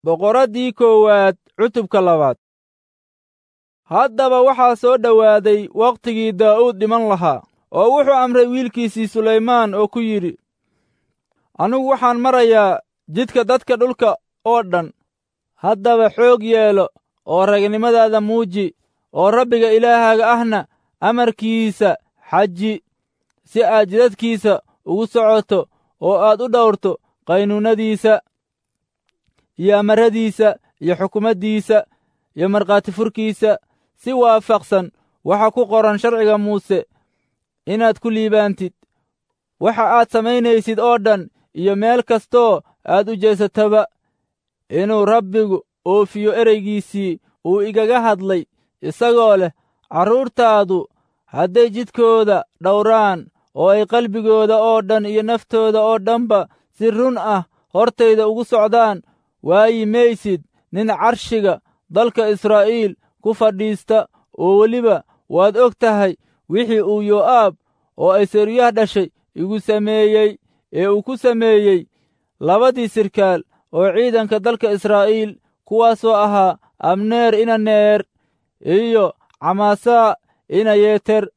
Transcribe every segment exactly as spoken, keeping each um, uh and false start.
Boqoraddii koowaad cutubka labaad. Haddaba waxaa soo dhowaaday wakhtigii Daa'uud dhiman lahaa, oo wuxuu amray wiilkiisii Sulaymaan oo ku yidhi, Anigu waxaan marayaa jidka dadka dhulka oo dhan. Haddaba xoog yeelo oo ragnimadaada muuji, oo Rabbiga Ilaahaaga ahna amarkiisa xaji, si aad jidadkiisa ugu socoto oo aad u dhowrto qaynuunnadiisa iyo amarradiisa iyo xukumaddiisa iyo markhaati furkiisa, si waafaqsan waxa ku qoran sharciga Muuse, inaad ku liibaantid waxa aad samaynaysid oo dhan iyo meel kastoo aad u jeesataba, inuu Rabbigu oofiyo ereygiisii uu igaga hadlay isagoo leh, carruurtaadu hadday jidkooda dhowraan oo ay qalbigooda oo dhan iyo naftooda oo dhanba si run ah hortayda ugu socdaan, waayi maysid nin carshiga dalka Israa'iil ku fadhiista. Oo weliba waad og tahay wixii uu Yoo'aab oo ay Seruyaah dhashay igu sameeyey, ee uu ku sameeyey labadii sirkaal oo ciidanka dalka Israa'iil, kuwaasoo ahaa Abneer ina Neer iyo Camaasaa ina Yeter,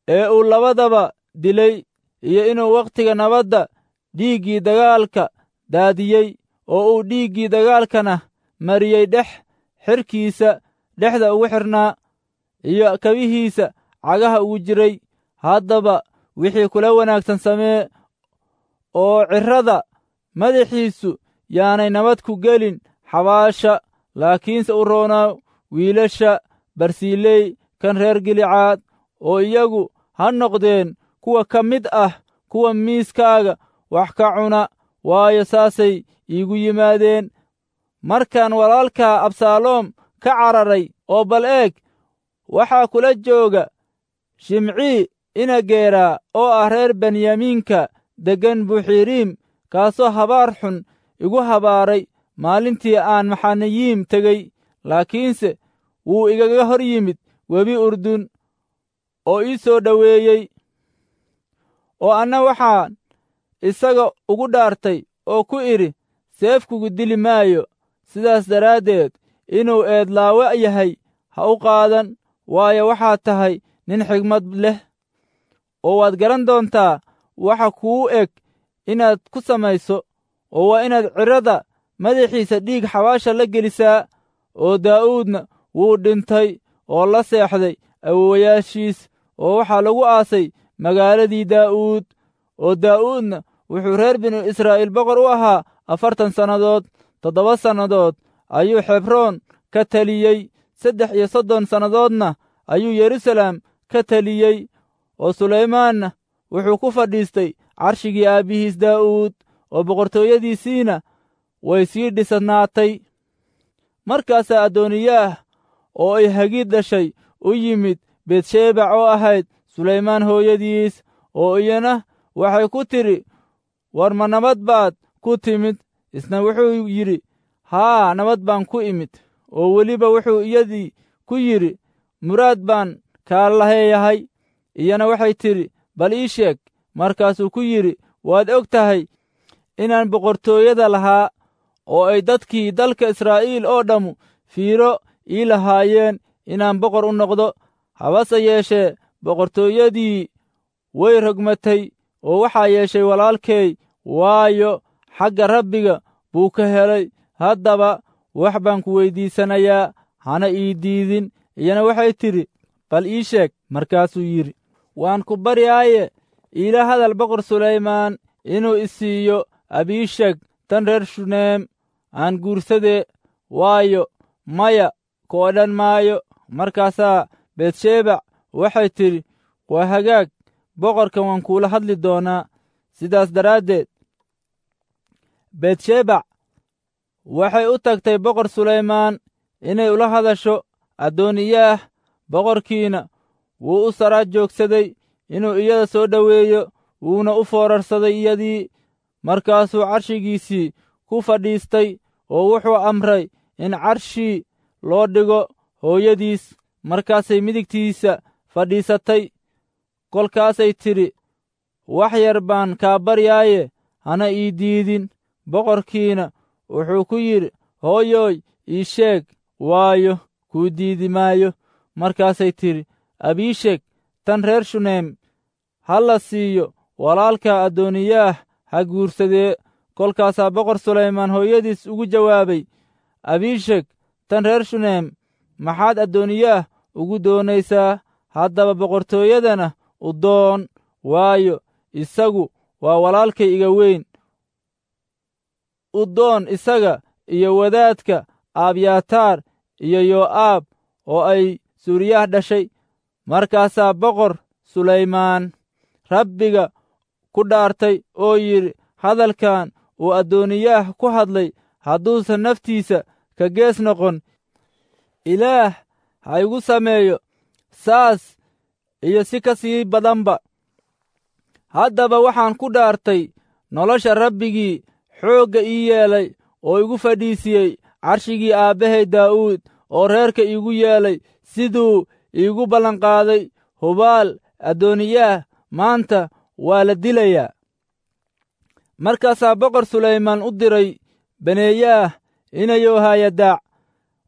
ee uu labadaba dilay, iyo inuu wakhtiga nabadda dhiiggii dagaalka daadiyey, oo uu dhiiggii dagaalkana mariyey dhex xidhkiisa dhexda ugu xidhnaa iyo kabihiisa cagaha ugu jiray. Haddaba wixii kula wanaagsan samee, oo cirrada madaxiisu yaanay nabad ku gelin xabaasha, laakiinse u roonaaw wiilasha Barsiiley kan reer Gilicaad, oo iyagu ha noqdeen kuwa ka mid ah kuwa miiskaaga wax ka cuna, waayo saasay iigu yimaadeen markaan walaalkaa Absaaloom ka cararay. Oo bal eeg, waxaa kula jooga Shimcii ina Geeraa oo ah reer Benyamiinka deggan Buxiriim, kaasoo habaar xun igu habaaray maalintii aan Maxanayiim tegey, laakiinse wuu igaga hor yimid webi Urdun oo ii soo dhoweeyey. Oo anna waxaan isaga ugu dhaartay oo ku idhi, seefkugu dili maayo. Sidaas daraaddeed inuu eedlaawe yahay ha u qaadan, waayo waxaad tahay nin xigmad leh, oo waad garan doontaa waxa kuu eg inaad ku samayso, oo waa inaad cirrada madaxiisa dhiig xabaasha la gelisaa. Oo Daa'uudna wuu dhintay oo la seexday awowayaashiis, oo waxaa lagu aasay magaaladii Daa'uud. Oo Daa'uudna wuxuu reer binu Israa'iil boqor u ahaa afartan sannadood. Toddoba sannadood ayuu Xebroon ka taliyey, saddex iyo soddon sannadoodna ayuu Yeruusaalem ka taliyey. Oo Sulaymaanna wuxuu ku fadhiistay carshigii aabbihiis Daa'uud, oo boqortooyadiisiina way sii dhisnaatay. Markaasaa Adooniyaah oo ay Hagiid dhashay u yimid Betshebac oo ahayd Sulaymaan hooyadiis, oo iyana waxay ku tidhi, War ma nabad baad ku timid? Isna wuxuu yidhi, Haa, nabad baan ku imid. Oo weliba wuxuu iyadii ku yidhi, Muraad baan kaa laheeyahay. Iyana waxay tidhi, Bal ii sheeg. Markaasuu ku yidhi, Waad og tahay inaan boqortooyada lahaa, oo ay dadkii dalka Israa'iil oo dhammu fiiro ii lahaayeen inaan boqor u noqdo. Habase yeeshee boqortooyadii way rogmatay, oo waxaa yeeshay walaalkay, waayo xagga Rabbiga buu ka helay. Haddaba wax baan ku weyddiisanayaa, hana ii diidin. Iyana waxay tidhi, Bal ii sheeg. Markaasuu yidhi, Waan ku baryaaye, iila hadal boqor Sulaymaan inuu i siiyo Abiishag tan reer Shuneem aan guursadee, waayo maya ku odhan maayo. Markaasaa Betshebac waxay tidhi, Waa hagaag, boqorka waan kuula hadli doonaa. Sidaas daraaddeed Betshebac waxay u tagtay boqor Sulaymaan inay ula hadasho Adooniyaah. Boqorkiina wuu u sara joogsaday inuu iyada soo dhoweeyo, wuuna u foorarsaday iyadii. Markaasuu carshigiisii ku fadhiistay, oo wuxuu amray in carshii loo dhigo hooyadiis. Markaasay midigtiisa fadhiisatay. Kolkaasay tidhi, Wax yar baan kaa baryaaye, hana ii diidin. Boqorkiina Wuxuu ku yidhi, Hooyooy, ii sheeg, waayo, kuu diidi maayo. Markaasay tidhi, Abiisheg tan reer Shuneem ha la siiyo walaalka Adooniyaah ha guursadee. Kolkaasaa Boqor Sulaymaan hooyadiis ugu jawaabay, Abiisheg tan reer Shuneem maxaad Adooniyaah ugu doonaysaa? Haddaba boqortooyadana u doon, waayo, isagu waa walaalkay iga weyn. U doon isaga iyo wadaadka Abyataar iyo Yoo'aab oo ay Suuriyaah dhashay. Markaasaa Boqor Sulaymaan Rabbiga ku dhaartay oo yidhi, Hadalkan uu Adooniyaah ku hadlay hadduusan naftiisa ka gees noqon, Ilaah ha igu sameeyo saas iyo si ka sii badanba. Haddaba waxaan ku dhaartay nolosha Rabbigii xoogga ii yeelay oo igu fadhiisiyey carshigii aabbahay Daa'uud oo reerka iigu yeelay siduu iigu ballanqaaday, hubaal Adooniyaah maanta waa la dilayaa. Markaasaa Boqor Sulaymaan u diray Beneeyaah inayohayadaac,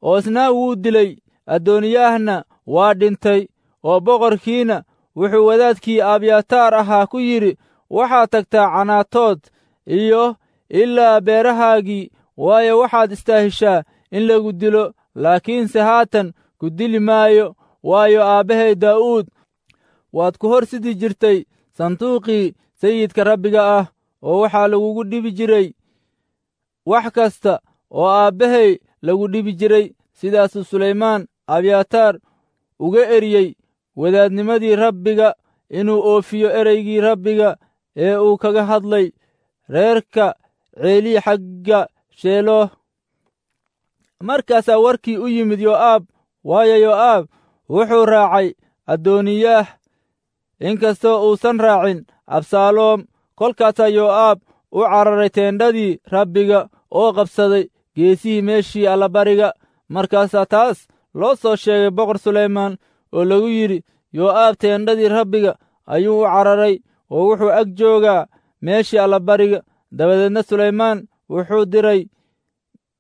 oo isna wuu dilay. Adooniyaahna waa dhintay, oo boqorkiina wuxuu wadaadkii Abyataar ahaa ku yidhi, Waxaad tagtaa Canaatood iyo ilaa beerahaagii, waayo, waxaad istaahishaa in lagu dilo, laakiinse haatan ku dili maayo, waayo, aabbahay Daa'uud waad ku hor sidi jirtay sanduuqii Sayidka Rabbiga ah, oo waxaa lagugu dhibi jiray wax kasta oo aabbahay lagu dhibi jiray. Sidaasuu Sulaymaan Abyataar uga eriyey wadaadnimadii Rabbiga inuu oofiyo ereygii Rabbiga ee uu kaga hadlay reerka Ceelii xagga Sheeloh. Markaasaa warkii u yimid Yoo'aab, waayo, Yoo'aab wuxuu raacay Adooniyaah, inkastoo uusan raacin Absaaloom. Kolkaasaa Yoo'aab u cararay teendhadii Rabbiga oo qabsaday geesihii meeshii allabariga. Markaasaa taas loo soo sheegay Boqor Sulaymaan oo lagu yidhi, Yoo'aab teendhadii Rabbiga ayuu u cararay oo wuxuu ag joogaa meeshii allabariga. Dabadeedna Sulaymaan wuxuu diray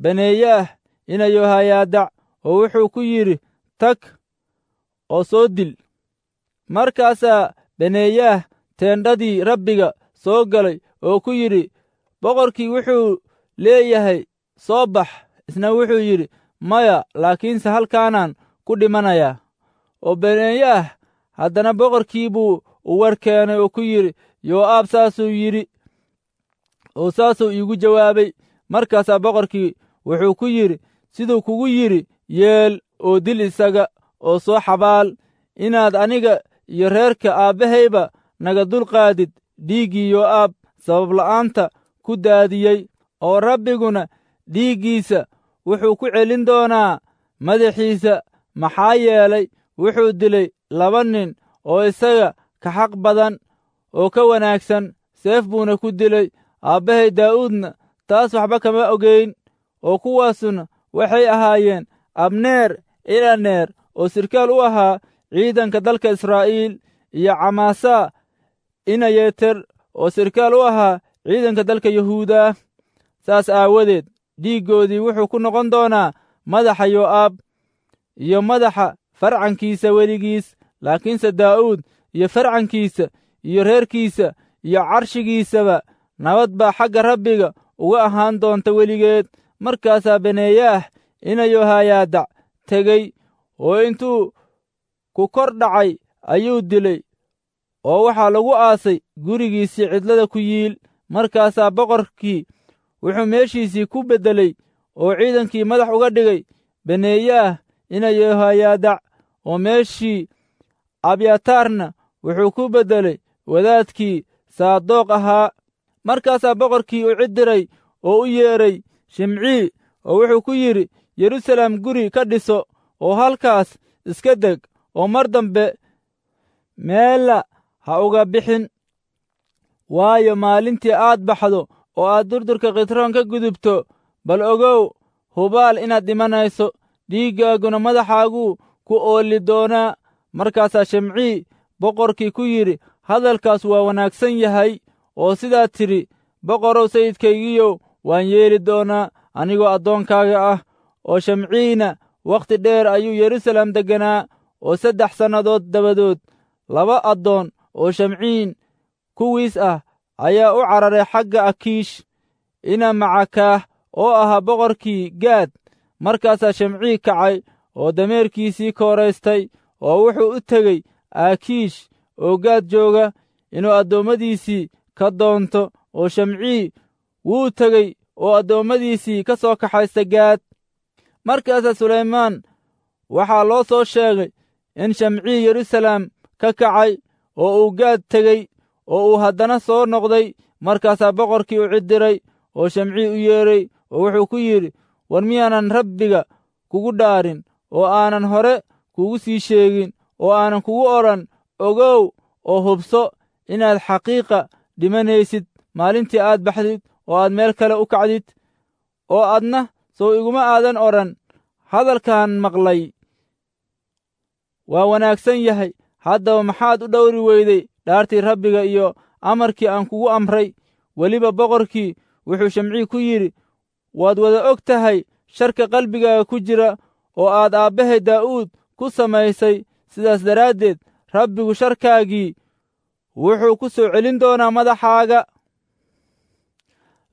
Beneeyaah inayohayaadac oo wuxuu ku yidhi, Tag oo soo dil. Markaasaa Beneeyaah teendhadii Rabbiga soo galay oo ku yidhi, Boqorkii wuxuu leeyahay, soo bax. Isna wuxuu yidhi, Maya, laakiinse halkaanaan ku dhimanayaa. Oo Beneeyaah haddana boqorkii buu u war keenay oo ku yidhi, Yoo'aab saasuu yidhi oo saasuu iigu jawaabay. Markaasaa boqorkii wuxuu ku yidhi, Siduu kugu yidhi yeel, oo dil isaga oo soo xabaal, inaad aniga iyo reerka aabbahayba naga dulqaadid dhiiggii Yoo'aab sabab la'aanta ku daadiyey, oo Rabbiguna dhiiggiisa wuxuu ku celin doonaa madaxiisa, maxaa yeelay wuxuu dilay laba nin oo isaga ka xaq badan oo ka wanaagsan, seef buuna ku dilay. Aabbahay Daa'uudna taas waxba kama ogeyn, oo kuwaasuna waxay ahaayeen Abneer Ilaneer oo sirkaal u ahaa ciidanka dalka Israa'iil, iyo Camaasaa Inayeter oo sirkaal u ahaa ciidanka dalka Yahuuda. Saas aawadeed dhiiggoodii wuxuu ku noqon doonaa madaxa Yoo'aab iyo madaxa farcankiisa weligiis. Laakiinse Daa'uud iyo farcankiisa iyo reerkiisa iyo carshigiisaba nabad baa xagga Rabbiga uga ahaan doonta weligeed. Markaasaa Beneeyaah inayohayaadac tegey oo intuu ku kor dhacay ayuu dilay, oo waxaa lagu aasay gurigiisii cidlada ku yiil. Markaasaa boqorkii wuxuu meeshiisii ku beddelay oo ciidankii madax uga dhigay Beneeyaah inayohayaadac, oo meeshii Abyataarna wuxuu ku beddelay wadaadkii Saadoq ahaa. Markaasaa boqorkii u cid diray oo u yeedhay Shimcii oo wuxuu ku yidhi, Yeruusaalem guri ka dhiso oo halkaas iska deg, oo mar dambe meella ha uga bixin, waayo, maalintii aad baxdo oo aad durdurka Khitroon ka gudubto, bal ogow hubaal inaad dhimanayso, dhiiggaaguna madaxaaguu ku oolli doonaa. Markaasaa Shimcii boqorkii ku yidhi, Hadalkaas waa wanaagsan yahay, oo sidaad tidhi, boqorow sayidkaygiiyow, waan yeeli doonaa. anigoo addoonkaaga ah. Oo Shamciina wakhti dheer ayuu Yeruusaalem degganaa, oo saddex sannadood dabadood laba addoon oo Shamciin kuwiis ah ayaa u cararay xagga Akiish ina Macakaah oo ahaa boqorkii Gaad. Markaasaa Shamcii kacay oo dameerkiisii kooraystay, oo wuxuu u tegey Akiish oo Gaad jooga inuu addoommadiisii ka doonto. Oo Shamcii wuu tegey oo addoommadiisii ka soo kaxaysta Gaad. Markaasaa Sulaymaan waxaa loo soo sheegay in Shamcii Yeruusaalem ka kacay oo uu Gaad tegey oo uu haddana soo noqday. Markaasaa boqorkii u cidiray oo Shamcii u yeedhay oo wuxuu ku yidhi, war miyaanan Rabbiga kugu dhaarin oo aanan hore kugu sii sheegin oo aanan kugu odhan, ogow oo hubso inaad xaqiiqa dhimanaysid maalintii aad baxdid oo aad meel kale u kacdid? Oo adna sow iguma aadan odhan, hadalkan maqlay waa wanaagsan yahay. Haddaba maxaad u dhowri weyday dhaartii Rabbiga iyo amarkii aan kugu amray? Weliba boqorkii wuxuu Shamcii ku yidhi, waad wada og tahay sharka qalbigaaga ku jira oo aad aabbahay Daa'uud ku samaysay. Sidaas daraaddeed Rabbigu sharkaagii wuxuu ku soo celin doonaa madaxaaga.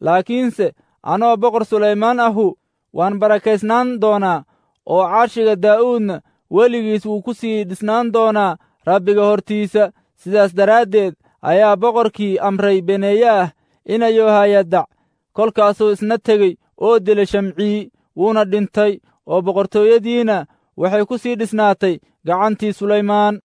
Laakiinse anoo boqor Sulaymaan ahu waan barakaysnaan doonaa, oo carshiga Daa'uudna weligiis wuu ku sii dhisnaan doonaa Rabbiga hortiisa. Sidaas daraaddeed ayaa boqorkii amray Beneeyaah ina Yohayadac. Kolkaasuu isna tegey oo dilay Shamcii, wuuna dhintay, oo boqortooyadiina waxay ku sii dhisnaatay gacantii Sulaymaan.